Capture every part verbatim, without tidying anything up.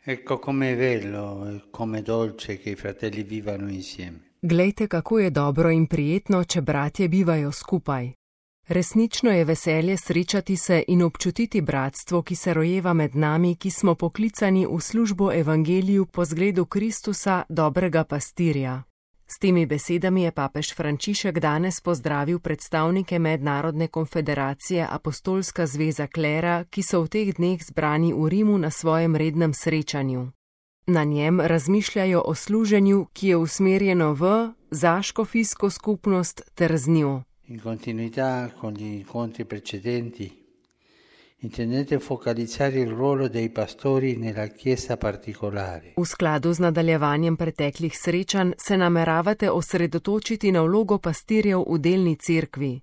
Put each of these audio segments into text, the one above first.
Ecco com'è bello e come dolce che i fratelli vivano insieme. Glejte, kako je dobro in prijetno, če bratje bivajo skupaj. Resnično je veselje srečati se in občutiti bratstvo, ki se rojeva med nami, ki smo poklicani v službo evangeliju po zgledu Kristusa, dobrega pastirja. S temi besedami je papež Frančišek danes pozdravil predstavnike Mednarodne konfederacije Apostolska zveza klera, ki so v teh dneh zbrani v Rimu na svojem rednem srečanju. Na njem razmišljajo o služenju, ki je usmerjeno v, za škofijsko skupnost ter z njo. In continuità con gli incontri precedenti, intendete focalizzare il ruolo dei pastori nella Chiesa particolare. V skladu z nadaljevanjem preteklih srečanj se nameravate osredotočiti na vlogo pastirjev v delni cerkvi.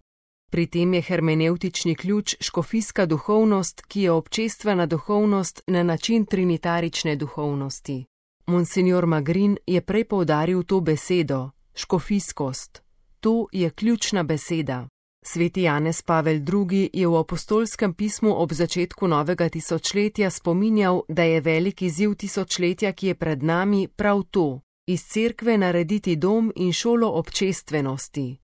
Pri tem je hermenevtični ključ škofijska duhovnost, ki je občestvena duhovnost na način trinitarične duhovnosti. Monsignor Magrin je prej poudaril to besedo, škofijskost. To je ključna beseda. Sveti Janez Pavel drugi je v apostolskem pismu ob začetku novega tisočletja spominjal, da je velik izziv tisočletja, ki je pred nami, prav to, iz cerkve narediti dom in šolo občestvenosti.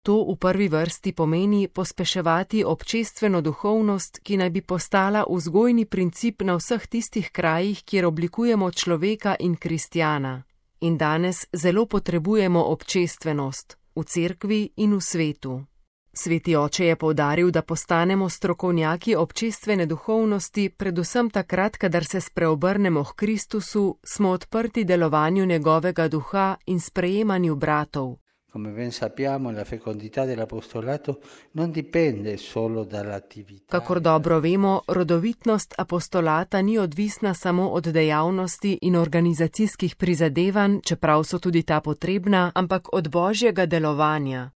To v prvi vrsti pomeni pospeševati občestveno duhovnost, ki naj bi postala vzgojni princip na vseh tistih krajih, kjer oblikujemo človeka in kristjana. In danes zelo potrebujemo občestvenost, v cerkvi in v svetu. Sveti oče je poudaril, da postanemo strokovnjaki občestvene duhovnosti, predvsem takrat, kadar se spreobrnemo k Kristusu, smo odprti delovanju njegovega duha in sprejemanju bratov. Come ben sappiamo, la fecondità dell'apostolato non dipende solo dall'attività. Kakor dobro vemo, rodovitnost apostolata ni odvisna samo od dejavnosti in organizacijskih prizadevanj, čeprav so tudi ta potrebna, ampak od božjega delovanja.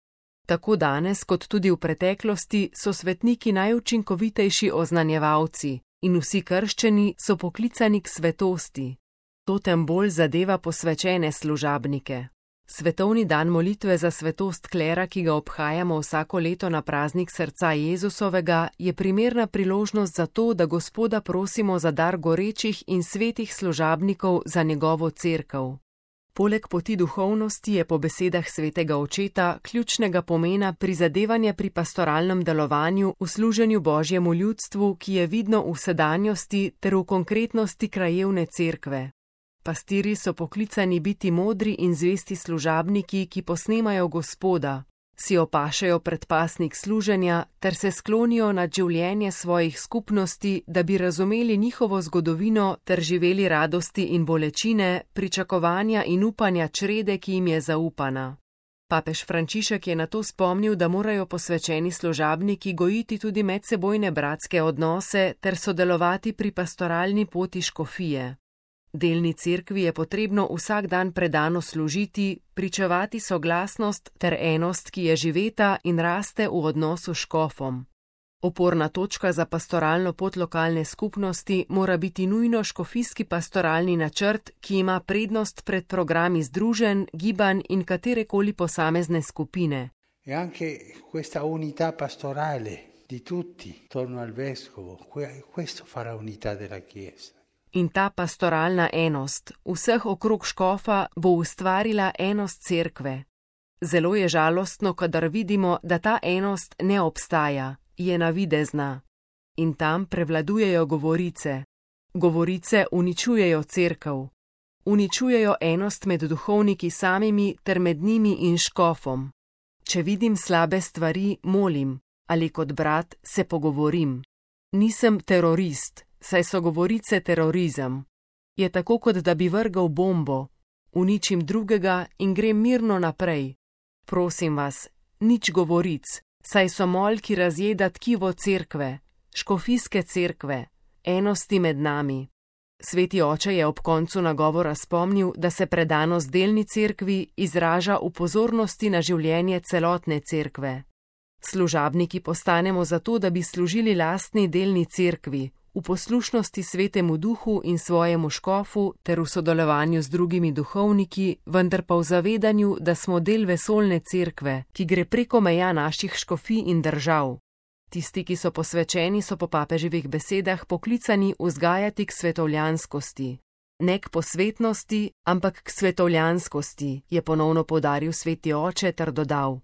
Tako danes, kot tudi v preteklosti, so svetniki najučinkovitejši oznanjevalci in vsi krščeni so poklicani k svetosti. To tem bolj zadeva posvečene služabnike. Svetovni dan molitve za svetost klera, ki ga obhajamo vsako leto na praznik srca Jezusovega, je primerna priložnost za to, da Gospoda prosimo za dar gorečih in svetih služabnikov za njegovo cerkev. Poleg poti duhovnosti je po besedah svetega očeta ključnega pomena prizadevanje pri pastoralnem delovanju v služenju Božjemu ljudstvu, ki je vidno v sedanjosti ter v konkretnosti krajevne cerkve. Pastirji so poklicani biti modri in zvesti služabniki, ki posnemajo Gospoda, si opašajo predpasnik služenja ter se sklonijo nad življenje svojih skupnosti, da bi razumeli njihovo zgodovino ter živeli radosti in bolečine, pričakovanja in upanja črede, ki jim je zaupana. Papež Frančišek je na to spomnil, da morajo posvečeni služabniki gojiti tudi medsebojne bratske odnose ter sodelovati pri pastoralni poti škofije. Delni cerkvi je potrebno vsak dan predano služiti, pričevati soglasnost ter enost, ki je živeta in raste v odnosu s škofom. Oporna točka za pastoralno pot lokalne skupnosti mora biti nujno škofijski pastoralni načrt, ki ima prednost pred programi združenj, gibanj in katerekoli posamezne skupine. E anche questa unità pastorale di tutti attorno al vescovo, questo farà unità della Chiesa. In ta pastoralna enost vseh okrog škofa bo ustvarila enost cerkve. Zelo je žalostno, kadar vidimo, da ta enost ne obstaja, je navidezna. In tam prevladujejo govorice. Govorice uničujejo cerkev. Uničujejo enost med duhovniki samimi ter med njimi in škofom. Če vidim slabe stvari, molim, ali kot brat se pogovorim. Nisem terorist. Saj so govorice terorizem. Je tako, kot da bi vrgal bombo, uničim drugega in grem mirno naprej. Prosim vas, nič govoric, saj so mol, ki razjeda tkivo cerkve, škofijske cerkve, enosti med nami. Sveti oče je ob koncu nagovora spomnil, da se predanost delni cerkvi izraža v pozornosti na življenje celotne cerkve. Služabniki postanemo zato, da bi služili lastni delni cerkvi, v poslušnosti svetemu duhu in svojemu škofu ter v sodelovanju z drugimi duhovniki, vendar pa v zavedanju, da smo del vesoljne cerkve, ki gre preko meja naših škofij in držav. Tisti, ki so posvečeni, so po papeževih besedah poklicani vzgajati k svetovljanskosti. Ne k posvetnosti, ampak k svetovljanskosti, je ponovno poudaril sveti oče ter dodal: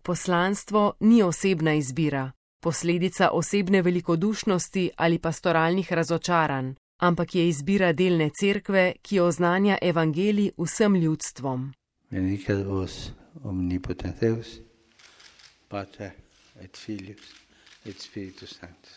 Poslanstvo ni osebna izbira, posledica osebne velikodušnosti ali pastoralnih razočaranj, ampak je izbira delne cerkve, ki oznanja evangelij vsem ljudstvom. Benedicat vos omnipotens Deus, Pater et Filius et Spiritus Sanctus.